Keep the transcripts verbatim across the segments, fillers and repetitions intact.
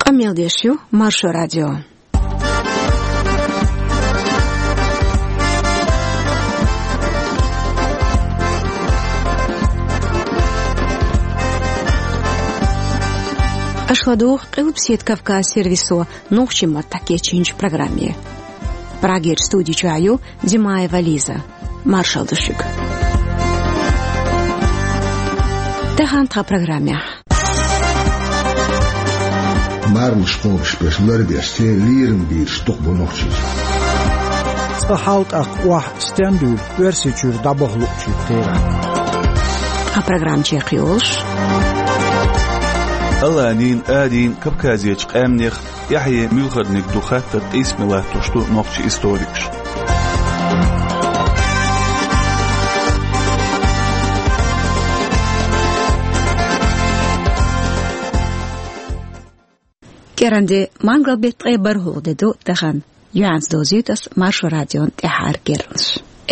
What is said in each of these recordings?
Къамел деш ю Маршо радио. Аша ладугӀу Къилбаседа Кавказ сервисо нохчийн маттахь кечйинчу программе. Прагерчу студи чохь ю Димаева Лиза. Маршалла ду шуьга. Тахана тхан программехь. Марханаш кхобуш берш ларбеш, церан лерам бийраш дукха бу Нохчийчохь. Цкъа хьал тӀаккха охьа стен дуьйла Оьрсийчуьра дӀабаха луучуьнга кхерахь. Тхан программа чекхйолуш. Аланийн, арийн, Кавказерчу къаьмнех тӀаьхье муьлхарниг ду хаттар къийсаме латтош ду нохчийн историкаш. КӀиранде, мангал-беттан ткъе бархӀалгӀа де ду тахана. Юьхьанца довзуьйту ас Маршо радион тӀаьххьара керланаш.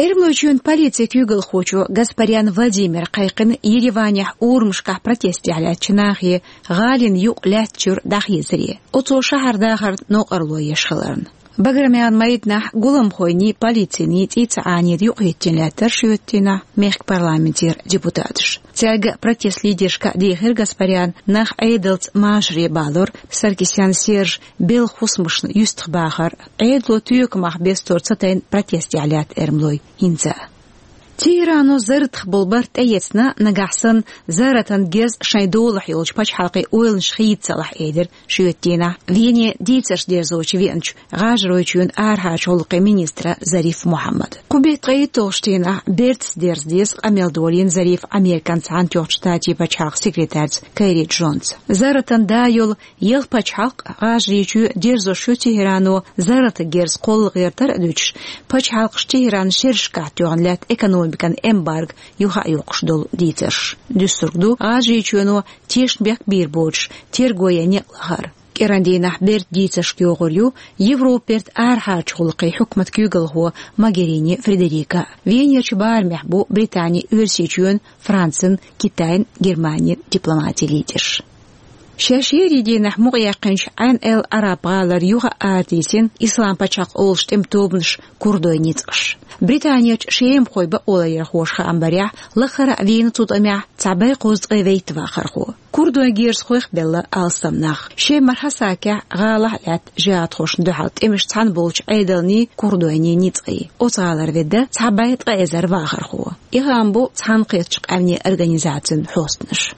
Эрмалойчоьнан полицин куьйгалхочо Гаспарян Владимира кхайкхина Ереванехь урамашкахь протестехь лаьттачу нахе гӀалина юкъ лаьттачуьра дӀахезаре, оцо шахьар дахарна новкъарло еш хиларна. Баграмаьнан майданахь гуламхойний, полициний цӀий ца Ӏанийта юкъахӀиттина лаьттара шоьтан дийнахь мехкан парламентера депутаташ. Цаьрга а, протестан лидершка а дийхира Гаспаряна нах Ӏедалца машаре балар, Саркисян Сержан белхан хӀусамашна юьстахбахар, Ӏедало тоькамах бестор ца тайна протестехь лаьтта эрмалой хӀинца а. Тегерано зарратах болу барт тӀеэцна, нагахь санна зарратан герз шайн долахь йолчу пачхьалкхийн ойланаш хийца ца лахь, элира шоьтан дийнахь Вене дийцарш дерзочу веанчу ГӀажаройчоьнан арахьарчу гӀуллакхийн министра Зариф Мухьаммада. Кху беттан ткъе итталгӀачу дийнахь бертаца дерза деза къамел долийна Зарифа Американ Цхьаьнатоьхначу Штатийн пачхьалкхан секретарца Керри Джонца. Зарратан да йолу ялх пачхьалкх, ГӀажарийчоь, дерзош ю Тегерано зарратан герз кхолла гӀертар а дуьтуш, пачхьалкхаша Тегеранна шерашкахь тоьхна лаьтта экономикан эмбарго юха а йоккхуш долу дийцарш. Дуьсург ду ГӀажарийчоьно тешнабехк бийр боцуш тергойн некъ лахар. КӀиран дийнахь бертан дийцаршка йогӀур ю Европан бертан арахьарчу гӀуллакхийн хьукматан куьйгалхо Могерини Фредерика. Венерчу барамехь бу Британин, Оьрсийчоьнан, Францин, Китайн, Германин дипломатийн лидерш. Шаьш шерийн дийнахь мукъаяьккхинчу Ӏайн эл-Араб гӀалара юха а арадисина Ислам пачхьалкх олучу тӀеман тобанаш курдойн ницкъаш. Британерчу шемахойн бакъоларъярхоша хаам барехь, лахара а вийна цу тӀамехь цхьа бӀе кхузткъе вейтта вахархо. Курдойн герзахойх а белла алсам нах. Шемара Хьасакехь гӀалахь а лаьтта жихӀадхошна дуьхьал тӀемаш цхьаьна болчу Ӏедалний, курдойний ницкъий. Оцу гӀалара ведда цхьа бӀе ткъа эзар вахархо. И хаам бу Цхьаьнакхеттачу Къаьмнийн Организацин хьостанаша.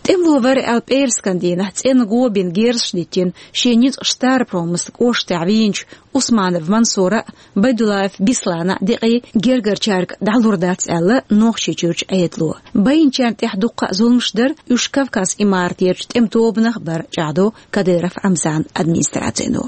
ТӀемало вара аьлла пӀераскан дийнахь цӀена го бина герзаш диттина, шен ницкъаш Старопромыслан кӀоштахь вийначу Усманов Мансура а, Байдуллаев Беслана а декъий гергарчаьрга дӀалур дац аьлла Нохчийчуьрчу Ӏедало. Байначарна тӀехь дуккха а зуламаш дар, уьш Кавказ имаратерчу тӀеман тобанах а бар, чӀагӀдо Кадыров Рамзанан администрацино.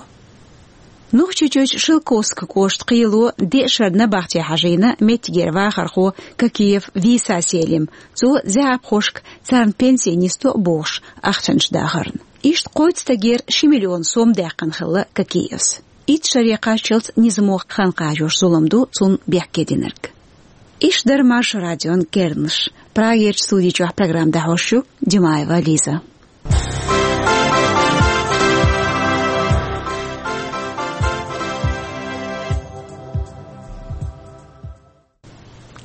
Нохчийчуьрчу Шелковскан кӀоштан кхело деа шарна набахте хьажийна меттигера вахархо Какиев Виса Селим. Цо заьӀапхошка царна пенси нисдо а бохуш, ахчанаш дахарна. Иштта кхойтта стагера ши миллион сом даьккхина хилла Какиевс. Итт шаре кхаччалц низамо хан кхачош зулам ду цунна бехке динарг. Иштта дара Маршо радион керланаш. Прагерчу студи чохь программа дӀахьош ю Димаева Лиза.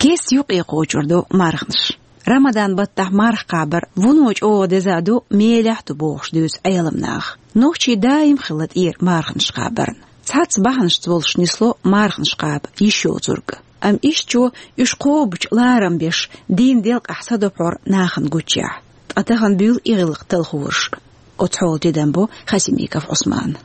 Кеста юкъе кхочур ду марханаш. Рамадан баттахь марха кхабар вуно чӀогӀа деза а ду, мелехь а ду бохуш дуьйцу Ӏеламнаха. Нохчий даим хилла тӀера марханаш кхабарна. Цхьацца бахьанашца волуш нисло марханаш кхаба йиш йоцург. Амма ишттачо уьш кхобучу ларам беш, дийнан делкъахь садопхьор нахана гуччехь. Ткъа тахана буьйлу и гӀиллакх талхораш. Оцу хьолан тидам бо Хасимиков Ӏусмана.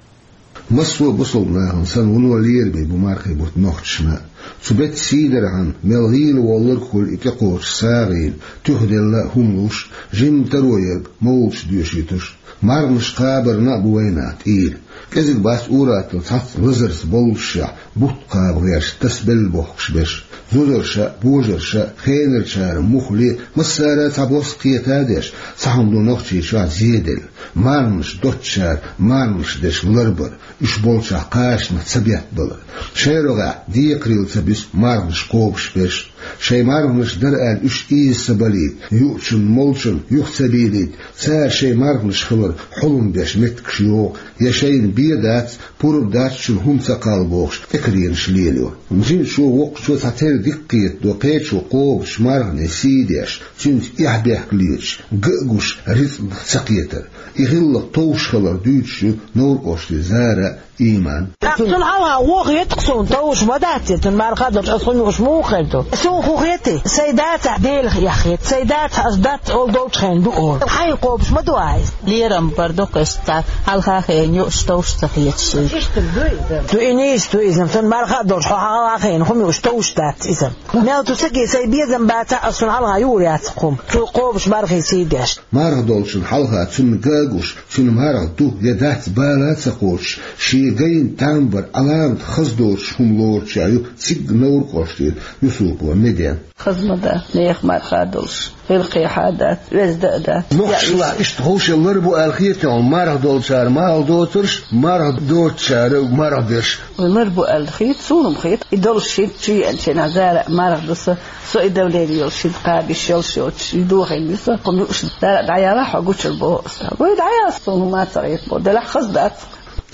Массо а бусалба нахана санна вуно лераме бу мархийн бутт нохчашна. Цу беттан сийдархьама мел гӀийла волларг а хуьлу и тӀекхочуш сагӀина, туьхаделла а хӀума луш, жимма таро ерг мовлудаш доьшуьйтуш. Марханаш кхабарна а бу вайнах тӀера. КӀезиг бац ур-атталла цхьацца лазарца боллушехь бутт кхаба гӀерташ, тасабелла бохкуш берш. Зузарша а, божарша а, хенарчара муххале а, массара а цхьа бос кхета а деш, цхьа хӀума ду Нохчийчохь зеделла. Марханаш доцучара марханаш деш ларбар, уьш болчохь кхачанах ца беттабалар. Шайн рогӀехь декхарийла ца буьсу марханаш кхобуш берш. Шайн марханаш дара аьлла уьш ийза ца балийта, юучун, молчун юха ца бийлийта, цара шайн марханаш хилар хьулам беш меттигаш йогӀу, я шайна бен дац, пурба дац, шуна хӀума ца кхалла бохуш, тӀекаренаш лелайо. Жимачо, воккхачо цхьатерра дика кхетадо кхечо кхобучу марханийн сий деш, цуьнца эхь-бехк леташ, ган а гуш, рицкъанах ца кхетар. И гӀиллакх товш хилар дуьйцуш ю Новр-кӀоштера Зара а, Иман а. Цунна хьалха вон хета-кх суна, товш ма дац иза, цуьнан марха а долуш, аса хӀума юуш муха хир ду? Суна хӀун хетий? Сайн дацахь Делах эхь хета, сайн дацахь аса дац олу долчу хенахь ду олу. Хьайна кхобуш ма ду ахь иза. Лерам бар ду-кх иза, цхьа хьалха хиъна юуш товш ца хеташ иза. Иштта ду иза. Ду и нийса ду иза, цуьнан марха а долуш, хьо хьалха хиъна хӀума юуш товш дац иза. Мел цу стаге сайн безам бацахь а, аса цунна хьалха юур яц-кх хӀума. Цо кхобучу мархин сий деш. Марха долчунна хьалха цунна ган а гуш, цуьнан марха ду я дац бала а ца кхочуш, шен гайна там бар Ӏаламат хаза доцуш хӀума лоручех ю цига Новр-кӀоштера Юсупова Медена. Хаза ма дац, нехан марха а долуш, гӀиллакхехь а дац, оьзда а дац. Мохк шалахь иштта ховшалла лар бу аьлла хетий хьуна, марха долчара марха доцурш, марха доцучара марха берш? Вай лар бу аьлла хета, суна-м хета. И долуш хӀинца чу еанчу хенахь, Зара а марха ду сан, со и давление йолуш хӀинца кхаба йиш йолуш йоцуш, и дохийна ю сан, хӀума юуш, Зара, дӀаяла хьо гучура боху аса. Вай дӀаяла, суна хӀума ца хета боху, делахь хаза дац.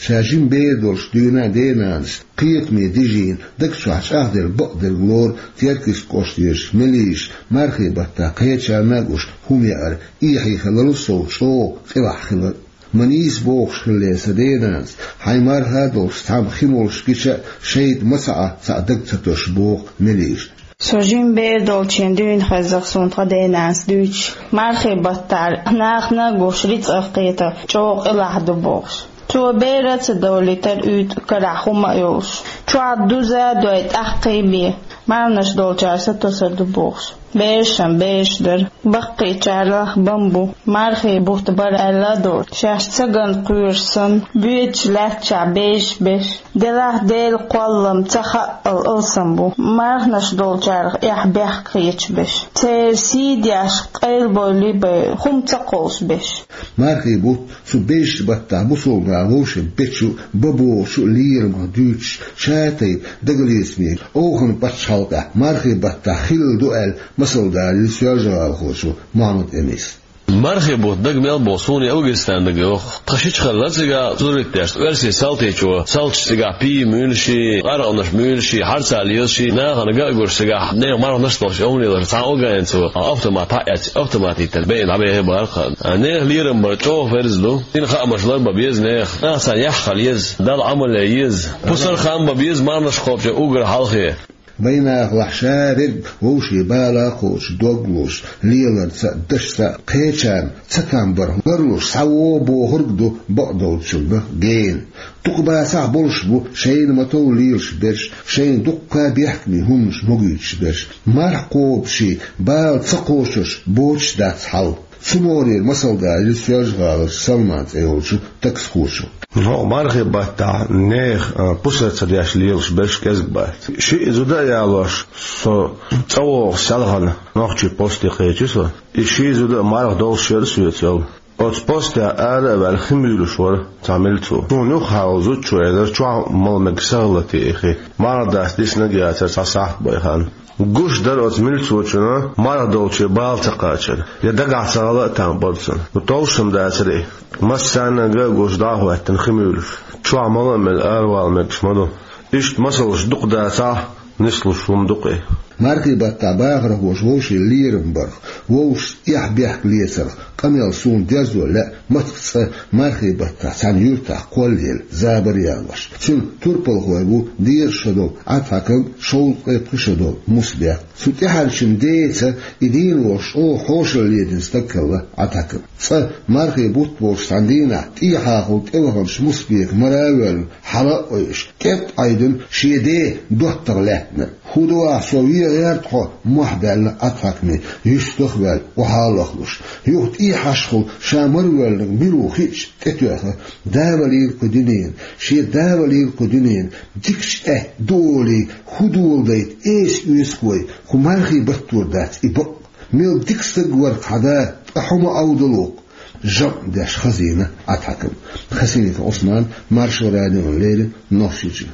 Ша жима бер долуш дуьйна а денанас, кхетаме дижийна, даг чохь чӀагӀделла бакъдерг лору Теркйист-кӀоштарчу Мелиша, мархийн баттахь кхечарна а гуш хӀума яар, эхье хиларал сов чӀогӀа къилахь хилар. Ма нийса бохуш хиллера сан денанас, хьайн марха а долуш цхьамма хи молуш гича а, шайтӀа ма ца Ӏа цхьаъ даг ца тосуш, боху Мелиша. Со жима бер долчу хенахь дуьйна хезна-кх суна тхан денанас дуьйцуш, мархийн баттахь нахана а гуш рицкъах кхетар чӀогӀа къилахь ду бохуш. Цо бер а ца довлийтира уьйтӀа карахь хӀума а йолуш. Чохь дуза а дой, тӀаккха а бен, марханаш долчара сатосур ду бохуш. Бераш-м бераш дара. Баккхийчарах бан бу, мархийн бутт бара аьлла а доцуш, шаьш ца ган кхоьруш санна, боьдучу лаьттачохь безаш берш. Делахь Делан кхоллам ца хаъал алсам бу, марханаш долчарах эхь-бехк хеташ берш. Церан сий деш, къайлабой-либой хӀума ца кхоллуш берш. Мархийн бутт цу безачу баттахь бусалба наха вовшийн бечу а, бан богӀучу а лерамах дуьйцуш, ша тайпа дагалецамийн, Ӏовхан пачхьалкхехь мархийн баттахь хилла ду аьлла, масал далийра соьлжа-гӀалахочо Мухьаммад-Эниса. Мархийн бутт дага мел боху суна и Афганистан дага йоху. Тхан шича хилла цигахь зурритдеш, оьрсийн салтичо салташ цигахь пий муьйлуш, къаркъанаш муьйлуш, хьарца лезаш, нахана ган а гуш цигахь, нехан марханаш а долуш, омра лелаш, цхьа афганец автомат хьаэц, автомат йиттина беана дӀабехи бара-кх. Нехан лерам бар чӀогӀа ферз ду. Динан хаамаш лар бан беза нехан. Наха царна яхь хила еза, Далла Ӏамал ян еза. Пусар хан бан беза марханаш кхобучу уггар хьалхе. Вайн нахалахь ша верг вовшийн бала а кхочуш, дог лозуш, леларца а, дашца а, кхечарна цатам барх ларлуш схьавогӀу бохург а ду бакъдолчунна гена. Дукха бацахь а болуш бу шайна ма-тов лелаш берш, шайна дуккха а бехкамийн хӀуманаш могуьйтуш берш. Марха кхобуш, бала ца кхочурш боцуш дац хьал. Цу могӀарера масал далийра Соьлжа-ГӀаларчу Салман цӀе йолчу таксхочо. Ну, мархийн баттахь нехан, а, пусар ца деш лелаш берш кӀезиг бац. Шиъ зуда а ялош, со цӀа вогӀуш селхана нохчийн посте кхечи со. И ши зуда а марха долуш яра соьца йолу. Оцу постехь ара а ваьлла хи муьйлуш вара цхьа милцо. Суна юххехула зудчо элира, чохь мала мегаш ца хилла те и хи. Марха даста диснарг яцара цхьа сахьт бен хан. Гуш дара оцу милцочунна марха долче бала ца кхачар, я дагахь ца хила а там бара цунна. Ну, товш-м дацара и. Массарна а ган а гуш дӀа а хӀоьттина хи муьйлуш. Чохь мала а мелла аравала мегаш ма ду. Иштта масалш дукха дацахь а, нислуш хӀума ду-кх и. Мархийн баттахь бахархоша вовшийн лерам барх, вовшашца эхь-бехк лецарх къамел суна дерзо лаьа маттах цкъа мархийн баттахь цхьана юьртахь кхоллаелла забар а ялош. Цуьнан турпалхой бу дезткъа шо долу Ӏатхьакам, шовзткъе пхи шо долу Мусбек. Цу тӀаьхьарчун деца и дийна волуш чӀогӀа хьошалла ледина стаг хилла Ӏатхьакам. Цкъа мархийн бутт болчу цхьана дийнахь тӀехьахула тӀеваханчу Мусбека мара а воьллина, хьала а ойуш, кӀед а Ӏайдина шен ден доттагӀа лаьттина. «ХӀун ду ахь, со вен гӀерта хьо?» — мохь баьлла Ӏатхьакаме, юьстах а ваьлла, охьа а лахлуш. Юха тӀехьашхула ша мара воьллинарг мила ву хиъча, тӀетоьхна: «Да валийла кху дуьненан, шен да валийла кху дуьненан, дикачу аьтта ду олий, хӀун доладайта эса оьцу-кх вай, кху мархийн баттора дац и бакъ. Мел дика стаг вара-кх хьан да, ткъа хьо ма Ӏовдало-кх». ЖамӀ деш хазийна Ӏатхьакам. Хасимиков Ӏусман, Маршо радиона леррина, Нохчийчоь.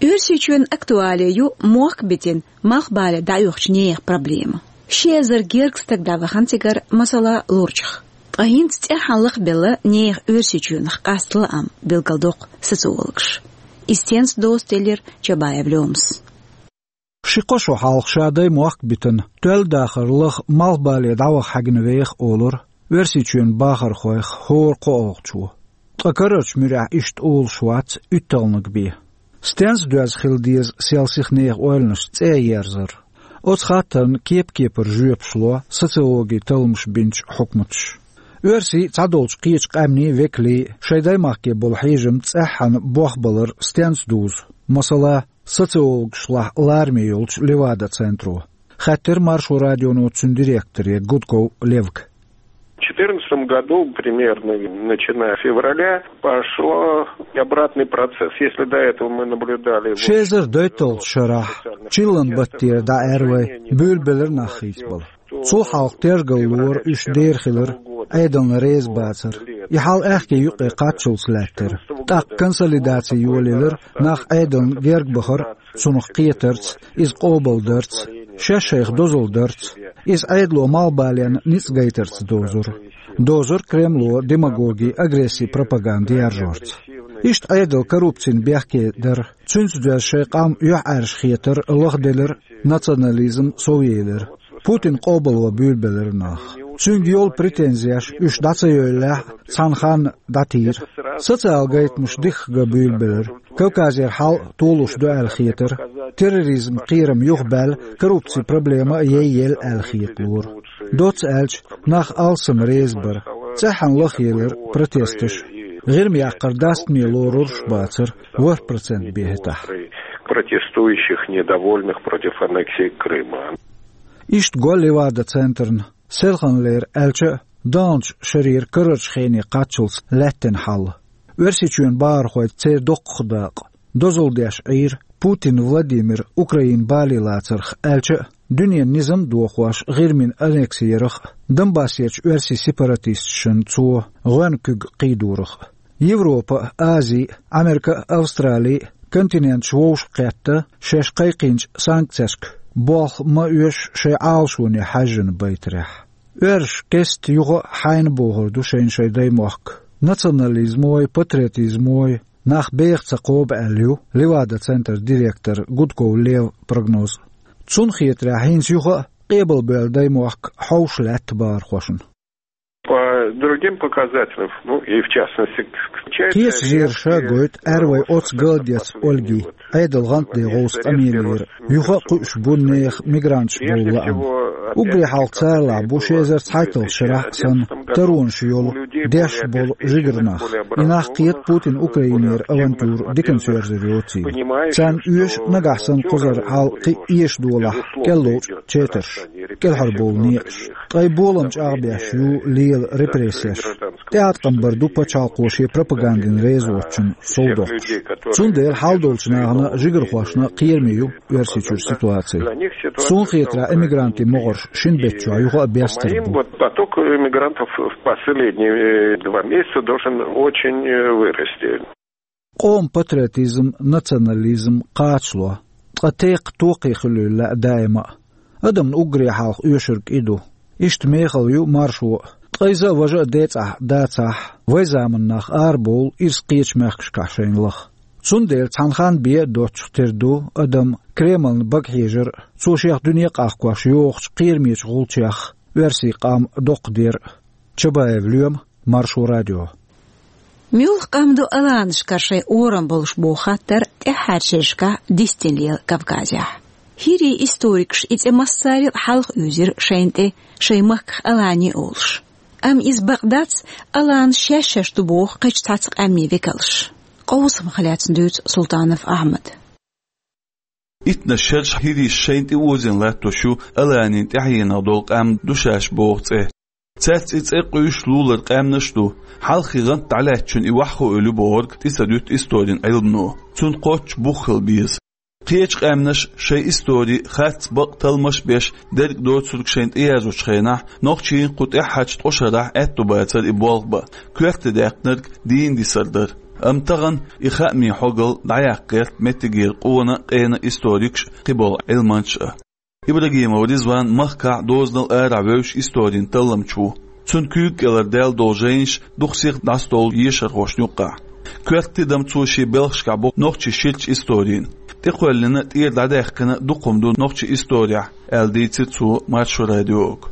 Оьрсийчоьнан актуале ю мохк битина малхбале дӀаоьхучу нехан проблема. Ши эзар гергга стаг дӀавахана цигара, масала, Лурчах. Ткъа хӀинца цӀеххьана лахбелла нехан Оьрсийчоьнах къаста лаам, билгалдоккху социологаша. Иза стенца доцу делира Чабаев Лёмас. Ши-кхо шо хьалха ша даймохк битина, тоьлла дахар лаха малхбале дӀаваха хьаьгна веха олура Оьрсийчоьнан бахархойх хӀора кхоалгӀачо. Ткъа карарчу муьрехь иштта олуш вац уьтталгӀаниг бен. Стенца доьзна хила деза сел сиха нехан ойланаш цӀе а ерзар? Оцу хаттарна кеп-кепара жоьпаш ло социологин талламаш бинчу хьукматаша. Оьрсийн а, цхьадолчу кхечу къаьмнийн а векалийн а шайн даймахке болу хьежам цӀеххьана болх балар стенца дузу, масала, социологашлахь лараме йолчу Левада-центро? Хаьттира Маршо радионо цуьнан директоре Гудков Левка. В четырнадцатом году, примерно, начиная с февраля, пошёл обратный процесс. Если до этого мы наблюдали... Ши эзар дейтталгӀачу шарахь, чиллан баттера дӀаьрра вай, буьйлабелира нах хийцабала. Цул хьалха тергал лора уьш дера хилар, Ӏедална реза бацар. И хьал аьхке юккъе кхаччалц лаьттара. ТӀаккха консолидаци йолаелира, нах Ӏедална герга бахара, цунах кхетарца, иза къобалдарца, шаьш шайх дозалла дарца, иза Ӏедало малхбален ницкъ гайтарца дозура. Дозура Кремло демагоги, агресси, пропаганда яржорца. Иштта Ӏедал коррупцина бехке дара, цуьнца доьзна шайн къам юьхьӀаьржа хетар лахделира, национализм совъелира. Путин къобало буьйлабелира нах. Цуьнга йолу претензеш уьш дӀа ца йойллехь а, цхьана ханна дӀатийра. Социал гайтамаш дихка ган буьйлабелира. Кавказера хьал а толуш ду аьлла хетара. Терроризм кхерам юхабаьлла, коррупцин проблема а яйъелла аьлла хеталора. Доцца аьлча, нах алсам реза бара. ЦӀеххьана лахъелира протесташ. ГӀирма яккхар дастаме лоруш бацара, ворхӀ процент бен хӀетахь. Протестующих, недовольных против аннексии Крыма. Иштта го Левада-центрна, селханлера аьлча а, даханчу шарера карарчу хене кхаччалц лаьттина хьал. Оьрсийчоьнан бахархой, церан доккхах дакъа, дозалла деш Ӏийра Путин Владимир Украина бале лацарх аьлча а, дуьненан низам а дохош ГӀирмина аннекси ярах а, Донбассерчу оьрсийн сепаратисташна цо гӀоьнна куьг кхийдорах а. Европа а, Ази а, Америка а, Австрали а континенташ вовшахкхетта, шаьш кхайкхийначу санкцешка болх ма оьшу шайн Ӏалашоне хьаьжжина байтарехь. Оьрсаша кеста юха а хьайна бохур ду шайна шайн даймохк. Национализмой, патриотизмой нах беха ца кхобу аьлла ю Левада-центран директор Гудков Леван прогноз. Цунна хетарехь, хӀинца юха а къебалбевлла даймохк хьовш лаьтта бахархошна. По другим показателям, ну, и в частности, к, к, кхечу зераша гойту, аьрра вай оццу галдеца Ольги, Ӏедал гӀантде гӀовса къамелера, юха а кхуьуш бу нехан мигранташ бовла лаам. Уггаре хьалха царалахь бу ши эзар цхьайтталгӀачу шарахь а санна, таронаш йолу, деш болу жигара нах. И нах кхета Путин Украинера авантюра диканца йоьрзур йоцийла. Царна оьшу нагахь санна кхузара хьал кхин а эшадолахь кӀел ловчу четарш, кӀелхьарбовла некъаш. Ткъа и болам чӀагӀбеш ю лела репрессеш. ТӀеӀаткъам бар ду пачхьалкхо шен пропагандина реза воцчунна совдоккхуш. Цундела хьал долчу нахана, жигархошна кхераме ю Оьрсийчуьра ситуаци. Суна хетарехь, эмигрантийн могӀарш шина беттачохь юха а бестар бу. По моим, вот, поток иммигрантов в последние, э, два месяца должен очень, э, вырасти. Къоман патриотизм, национализм кхачало, ткъа текха токхе хуьлийла лаьа даима а. Адамна уггаре хьалха оьшург и ду. Иштта мехала ю маршо а, ткъа иза а, важа а децӀахь дацахь, вайн заманан нах арабовлу ирс кхечу мехкашкахь шайна лаха. Цундела цхьана ханна бен а доцчух тера ду адам Кремлна бага хьежар а, цо шех дуьне къахкош йохучу кхерамечу гӀулчех оьрсийн къам доккхадер а. Чабаев Лоьма, Маршо радио. Муьлха къам ду аланашкара шайн орам болуш боху хаттар тӀаьххьарчу шерашкахь дистина лела Кавказехь. ХӀирийн историкаша и цӀе массарел а хьалха уьйзира шайна тӀе, шайн махках алани олуш. Амма иза бакъ дац, аланаш шаьш-шаьш ду боху кхечу цхьацца къаьмнийн векалша. Къовсамах лаьцна дуьйцу Султанов Ахьмада. Итнаш шераш хӀирийша шайна тӀе озийна латтош ю аланийн тӀаьхьенах долу къам ду шаьш боху цӀе. Цаьрца и цӀе къуьйсуш лулара къаьмнаш а ду, хьалххе гӀант дӀалаьцначунна и ваха хуьлу бохург тӀе ца дуьту историн Ӏилмано. Цунна кхоччуш бух хила беза. Кхечу къаьмнаша шайн истори харц, бакъ талламаш а беш дерг доцург шайна тӀеяздечу хенахь, нохчийн кху тӀаьххьарчу ткъа шарахь аьтто бацара и болх бан, коьрте даьккхинарг дийна дисар дара. Амма тахана и хаамийн хьогал дӀаяккха гӀерта меттигера къона а, къена а историкаш а, кхиболу Ӏилманчаш а. Ибрагимов Ризван махкахь дозанал арахь вевзаш историн талламча ву. Цуьнан куьйга кӀелара даьлла долу жайнаш дукха сиха дӀасадолу ешархошна юккъехь. Коьрта тидам цо шен белхашкахь бо нохчийн ширачу историн. ТӀекхоьллина, тӀера дӀадаьккхина дукха хӀума ду нохчийн исторехь, аьлла дийцира цо Маршо радиога.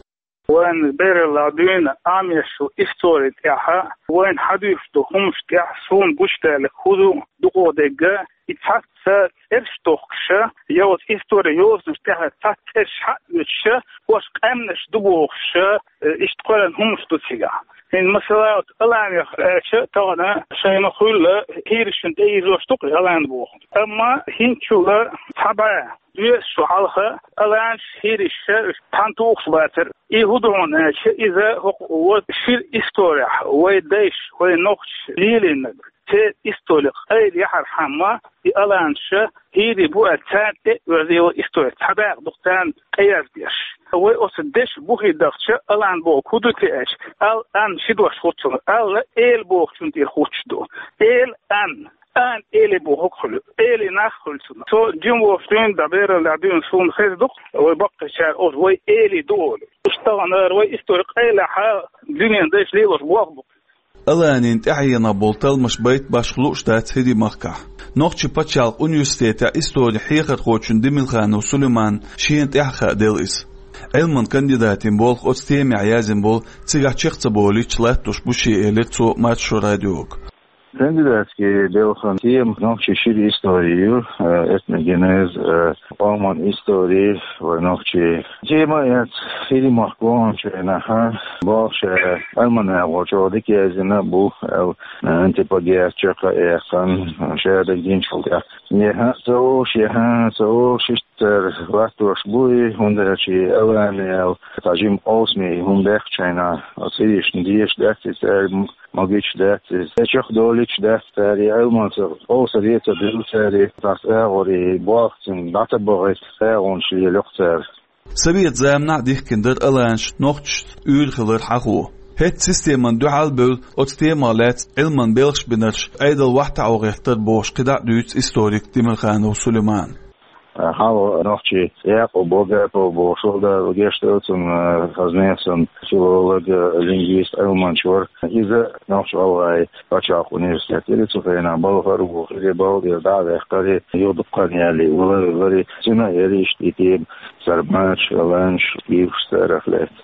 Вайн бераллехь дуьйна Ӏамош йолу истори тӀехь, вайн хьадуьйцуш долу хӀуманаш тӀехь суна гучудаьлларг хӀун ду, дукха дерг, и цхьацца цӀераш тохкуш, я оцу истори йозанаш тӀехь цхьацца цӀераш хьаоьцуш, хӀорш къаьмнаш ду бохуш, иштта кхоьллина хӀуманаш ду цигахь. ХӀинца масала, оцу Аланех аьлча, тахана шайна хуьлу, хӀирашна тӀеийзош ду-кх и Алан боху. Амма хӀинцачул цхьа бӀе доьзал хьалха Аланаш, хӀираш цхьаьна тухуш бацара. И хӀун ду хьуна аьлча, иза хӀокху вайн шира исторехь вайн дайша, вайн нохчаша лелийнарг, церан истори къайла яхьархьама, и Аланаш хӀирий бу аьлла, царна тӀе а оьзда йолу истори цхьа дакъа ду-кх царна къеяздеш. Вай оцу дешан бухе дахча, Алан бохург хӀун ду те аьлча, ал-ан ши дош хуьлу цунах, ал эла бохучун тӀера хуьлуш ду. Эла-ан. Ан эли бохург хуьлу, эли нах хуьлу цунах. Цо жима волуш дуьйна дан бераллехь дуьйна суна хезна ду-кх, вай баккхийчара оцу вай эли ду олий. Уьш тахана ара вай истори къайлахь, дуьненан дайша лелош болх бу. Аланийн тӀаьхьенах болу талламаш байта башха лууш дац ХӀирийн махкахь. Нохчийн пачхьалкхан университетехь историн хьехархочун Демилханов Сулейманан шена тӀаьхьа хааделла иза. Ӏилманан кандидатийн болх оцу темехь язйина болу цигахь чекх ца болуьйтуш латтош бу шен, элира цо Маршо радиога. Кандидатский белхан тема нохчийн шира истори ю, э, этногенез, э, къоман истори вайн нохчийн. Тема яц ХӀирийн махкахь гончарна хьа, бохуш, э, Ӏилманан агӀор чӀогӀа дика язйина бу, э, антиплагиат чекх а яьккхина, шадерг динчул тӀаьхьа. Яхьа ца олуш, яхьа ца олуш, иштта латтош бу и, хӀунда аьлча и Алан аьлла, цхьа жима къовсаме хӀума баьккхича, оцу хӀирашна дезаш дац и цара, магийта дац иза. Чекхдолуьйтуш дац цара, и Ӏилманца къовсаме ца дуьллу цара, тӀаккха агӀор и болх цуьнга дӀа ца бахийта, агӀонаш лелайо-кх цара. Советан заманахь а дихкина дара аланаш нохчашца уьйр хилар хьахо. ХӀетахь системана дуьхьал а бевлла, оцу темах лаьцна Ӏилманан белхаш бинарш Ӏедал вахтахь гӀертара бохуш кхидӀа а дуьйцу историка Демилханов Сулеймана. Хьалха нохчийн Якъуб Вагапов бохуш волу, Дала гечдойла цунна, хаза нехан филолог, лингвист, Ӏилманча вара. Иза Нохч-ГӀалгӀайн пачхьалкхан университет яра, цу хенахь балхара а ву, хӀирийн балха дӀа а ваьккхира, юха дукха хан ялале вала а велира, цуьнан а яра иштта и тема, сарматаш, аланаш, уьйраш царах лаьцна.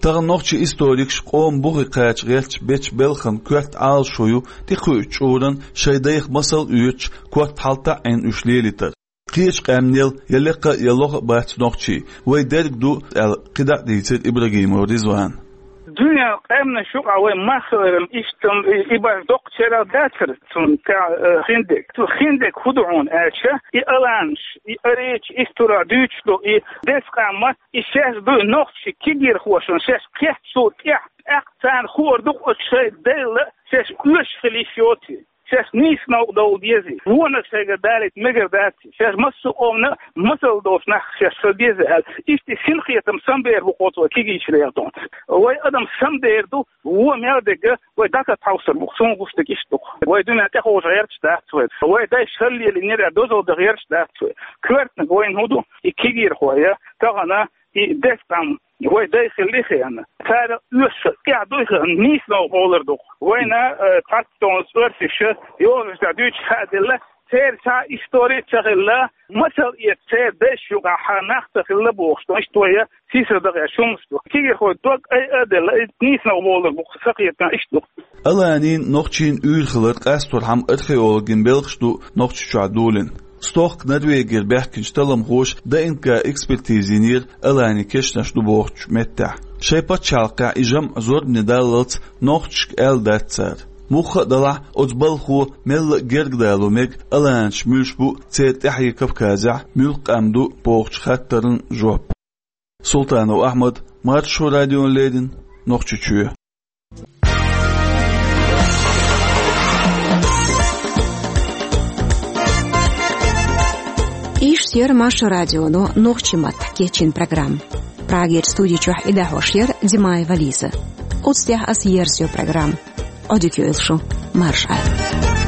Тахана нохчийн историкаш къоман бухе кхача гӀерташ бечу белхан коьрта Ӏалашо ю тӀекхуьучу чкъуран шайн дайх масал а оьцуш, корта хьалатаӀийна уьш лелийтар. Кхечу къаьмнел я лекха а, я лоха а бац нохчий, вай дерг ду, аьлла, кхидӀа а дийцира Ибрагимов Ризвана. Дуьненан къаьмнаш юкъахь вай мах хиларан иштта и, и баш доккхачарах дацара цунна тӀехь, э, хиндерг. Цу хиндерг хӀун ду хьуна аьлча, и аланаш, и арийча исторехь дуьйцуш ду и деза къам, и шаьш ду и нохчий кегийрхошна шаьш кхетчул тӀаьхьа, тӀаккха царна хуур ду-кх оцу шайн дайла шаьш оьшуш хила йиш йоций. Шаьш нийса новкъа довла дезий, вонах шайгара далийта мегар даций, шаьш массо а къомана масал долуш нах шаьш хила деза аьлла, иштта и синкхетам самабер бу-кх оцу вай кегийчарна. Вай адам самабер ду, вон мел дерг вай дӀа ца тхьовсур бу-кх, суна гуш дерг иштта ду-кх. Вай дуьнен тӀехьожа гӀерташ дац вай. Вай дайша хала лелийнера дозалла дан гӀерташ дац вай. Коьртаниг вайна хӀун ду, и кегийрхой, тахана и деза къам вай дай хилла хиъна. Цара оьшуш тӀехь дуй хиъна, нийса новкъа бовлар ду-кх. Вайна, э, цхьацца оьрсаша йозанаш тӀехь дуьйцуш хааделла, церан цхьа а истори а ца хилла, масал эца церан дайша юкъахь нах ца хилла бохуш ду. Иштта вай сийсара дан гӀерташ хӀуманаш ду. Кегийрхой дог айа а делла, иза нийса новкъа бовлар бу-кх, сан кхетамехь иштта ду-кх. Аланийн, нохчийн уьйр хилар къасторхьама археологийн белхаш ду Нохчийчохь долийна. Стохка Норвегера баьхкинчу талламхоша ДНК-экспертиза йинера аланийн кешнаш ду бохучу меттехь. Шайн пачхьалкхехь и жамӀ зорбане даллалц нохчашка аьлла дац цара. Мухха а делахь, оцу балхо мелла а гергадало мега, аланаш муьлш бу, церан тӀаьхье Кавказехь муьлха къам ду бохучу хаттарна жоп. Султанов Ахьмад, Маршо радиона леррина, Нохчийчоь. Иштта яра Маршо радионо нохчийн маттахь кечйина программа. Прагерчу студи чохь и дӀахьош яра Димаева Лиза. Оцу тӀехь аса ерзайо программа. Ӏодика йойла шу, марша Ӏайла.